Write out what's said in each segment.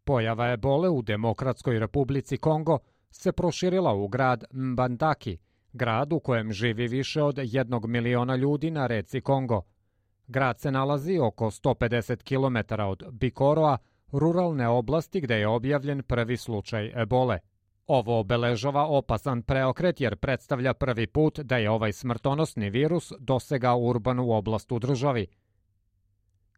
Pojava ebole u Demokratskoj republici Kongo se proširila u grad Mbandaki, grad u kojem živi više od 1 miliona ljudi na reci Kongo. Grad se nalazi oko 150 km od Bikoroa, ruralne oblasti gde je objavljen prvi slučaj ebole. Ovo obeležava opasan preokret jer predstavlja prvi put da je ovaj smrtonosni virus dosegao urbanu oblast u državi.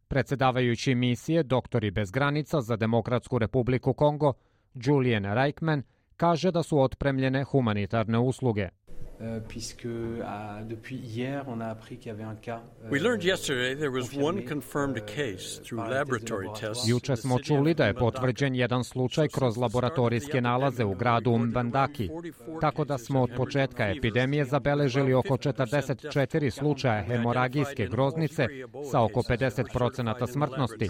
Predsedavajući misije Doktori bez granica za Demokratsku republiku Kongo, Julien Reichmann, kaže da su otpremljene humanitarne usluge. We learned yesterday there was one confirmed case through laboratory tests. Juče smo čuli da je potvrđen jedan slučaj kroz laboratorijske nalaze u gradu Mbandaki, tako da smo od početka epidemije zabeležili oko 44 slučaja hemoragijske groznice sa oko 50% smrtnosti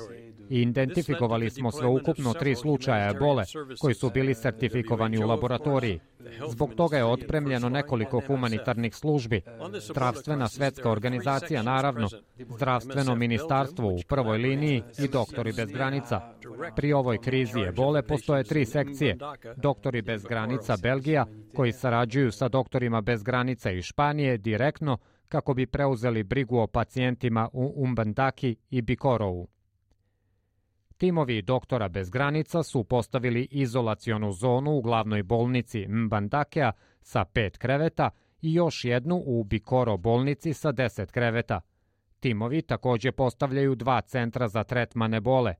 i identifikovali smo sveukupno 3 slučaja ebole koji su bili sertifikovani u laboratoriji. Zbog toga je otpremljeno nekoliko humanitarnih službi, Zdravstvena svetska organizacija naravno, Zdravstveno ministarstvo u prvoj liniji i Doktori bez granica. Pri ovoj krizi ebole postoje 3 sekcije, Doktori bez granica Belgija, koji sarađuju sa Doktorima bez granica iz Španije direktno kako bi preuzeli brigu o pacijentima u Mbandaki i Bikorovu. Timovi Doktora bez granica su postavili izolacionu zonu u glavnoj bolnici Mbandakea sa 5 kreveta i još jednu u Bikoro bolnici sa 10 kreveta. Timovi takođe postavljaju 2 centra za tretman ebole.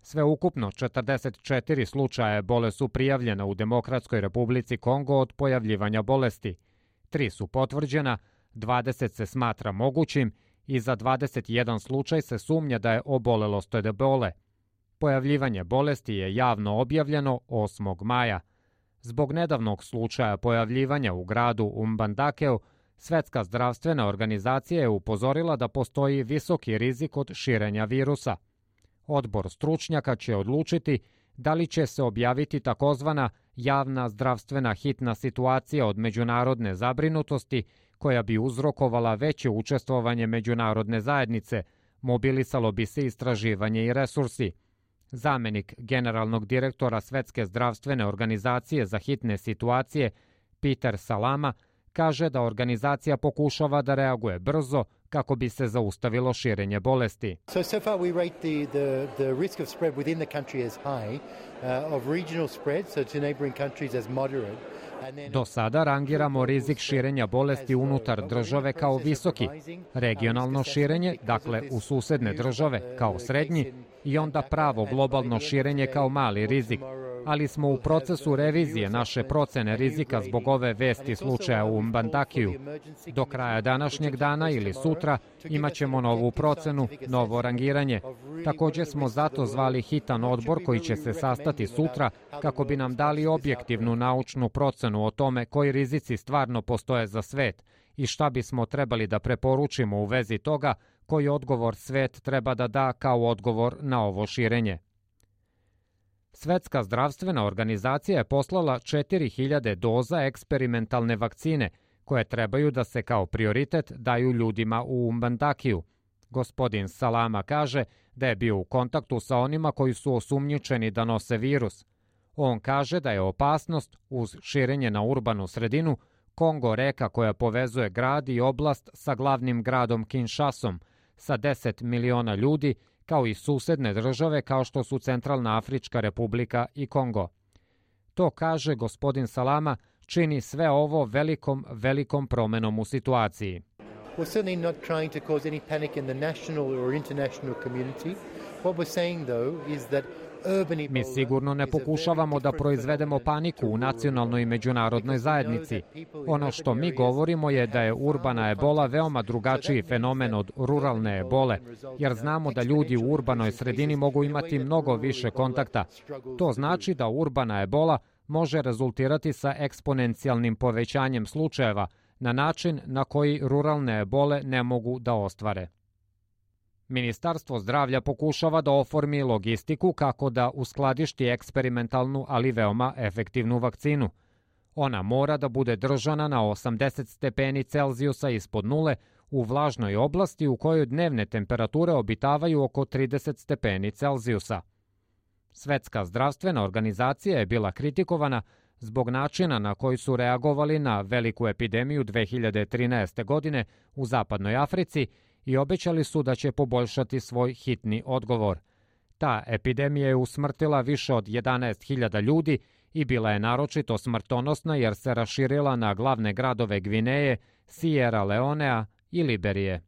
Sveukupno 44 slučaja ebole su prijavljena u Demokratskoj republici Kongo od pojavljivanja bolesti. 3 su potvrđena, 20 se smatra mogućim i za 21 slučaj se sumnja da je obolelost od ebole. Pojavljivanje bolesti je javno objavljeno 8. maja. Zbog nedavnog slučaja pojavljivanja u gradu Mbandakeu, Svetska zdravstvena organizacija je upozorila da postoji visoki rizik od širenja virusa. Odbor stručnjaka će odlučiti da li će se objaviti takozvana javna zdravstvena hitna situacija od međunarodne zabrinutosti koja bi uzrokovala veće učestvovanje međunarodne zajednice, mobilisalo bi se istraživanje i resursi. Zamenik generalnog direktora Svetske zdravstvene organizacije za hitne situacije, Peter Salama, kaže da organizacija pokušava da reaguje brzo kako bi se zaustavilo širenje bolesti. So far we rate the risk of spread within the country as high, of regional spread, so to neighboring countries as moderate. Do sada rangiramo rizik širenja bolesti unutar države kao visoki, regionalno širenje, dakle u susedne države, kao srednji i onda pravo globalno širenje kao mali rizik, ali smo u procesu revizije naše procene rizika zbog ove vesti slučaja u Mbandakiju. Do kraja današnjeg dana ili sutra imaćemo novu procenu, novo rangiranje. Takođe smo zato zvali hitan odbor koji će se sastati sutra kako bi nam dali objektivnu naučnu procenu o tome koji rizici stvarno postoje za svet i šta bismo trebali da preporučimo u vezi toga koji odgovor svet treba da da kao odgovor na ovo širenje. Svetska zdravstvena organizacija je poslala 4000 doza eksperimentalne vakcine koje trebaju da se kao prioritet daju ljudima u Mbandakiju. Gospodin Salama kaže da je bio u kontaktu sa onima koji su osumnjičeni da nose virus. On kaže da je opasnost, uz širenje na urbanu sredinu, Kongo reka koja povezuje grad i oblast sa glavnim gradom Kinshasom, sa 10 miliona ljudi, kao i susedne države kao što su Centralna Afrička republika i Kongo. To, kaže gospodin Salama, čini sve ovo velikom promenom u situaciji. We're certainly not trying to cause any panic in the national or international community. What we're saying though is that Mi sigurno ne pokušavamo da proizvedemo paniku u nacionalnoj i međunarodnoj zajednici. Ono što mi govorimo je da je urbana ebola veoma drugačiji fenomen od ruralne ebole, jer znamo da ljudi u urbanoj sredini mogu imati mnogo više kontakta. To znači da urbana ebola može rezultirati sa eksponencijalnim povećanjem slučajeva na način na koji ruralne ebole ne mogu da ostvare. Ministarstvo zdravlja pokušava da oformi logistiku kako da uskladišti eksperimentalnu, ali veoma efektivnu vakcinu. Ona mora da bude držana na 80 stepeni Celzijusa ispod nule u vlažnoj oblasti u kojoj dnevne temperature obitavaju oko 30 stepeni Celzijusa. Svetska zdravstvena organizacija je bila kritikovana zbog načina na koji su reagovali na veliku epidemiju 2013. godine u Zapadnoj Africi i obećali su da će poboljšati svoj hitni odgovor. Ta epidemija je usmrtila više od 11.000 ljudi i bila je naročito smrtonosna jer se raširila na glavne gradove Gvineje, Sierra Leonea i Liberije.